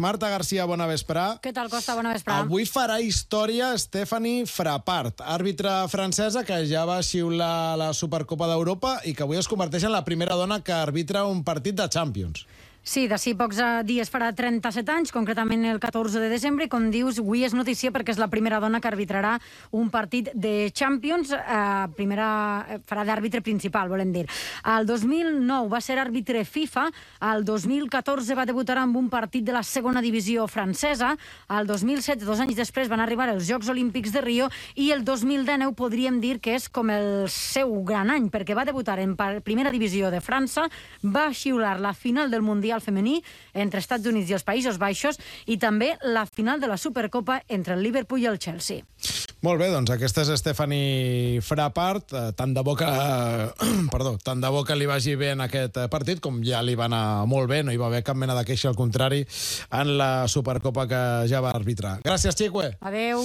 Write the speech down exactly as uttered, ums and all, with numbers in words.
Marta Garcia, bona vesprà. Què tal, Costa? Bona vesprà. Avui farà història Stephanie Frappart, àrbitre francesa que ja va xiular la Supercopa d'Europa i que avui es converteix en la primera dona que arbitra un partit de Champions. Sí, d'ací pocs dies farà trenta-set anys, concretament el catorze de desembre, i com dius, avui és notícia perquè és la primera dona que arbitrarà un partit de Champions, eh, primera, farà d'àrbitre principal, volem dir. El dos mil nou va ser àrbitre FIFA, el dos mil catorze va debutar amb un partit de la segona divisió francesa, el dos mil set, dos anys després, van arribar els Jocs Olímpics de Rio, i el dos mil dinou podríem dir que és com el seu gran any, perquè va debutar en primera divisió de França, va xiular la final del Mundial femení entre Estats Units i els Països Baixos i també la final de la Supercopa entre el Liverpool i el Chelsea. Molt bé, doncs aquesta és Stephanie Frappart. Tant de bo que, perdó, tant de bo que li vagi bé en aquest partit, com ja li va anar molt bé, no hi va haver cap mena de queixa, al contrari, en la Supercopa que ja va arbitrar. Gràcies, Chique. Adeu.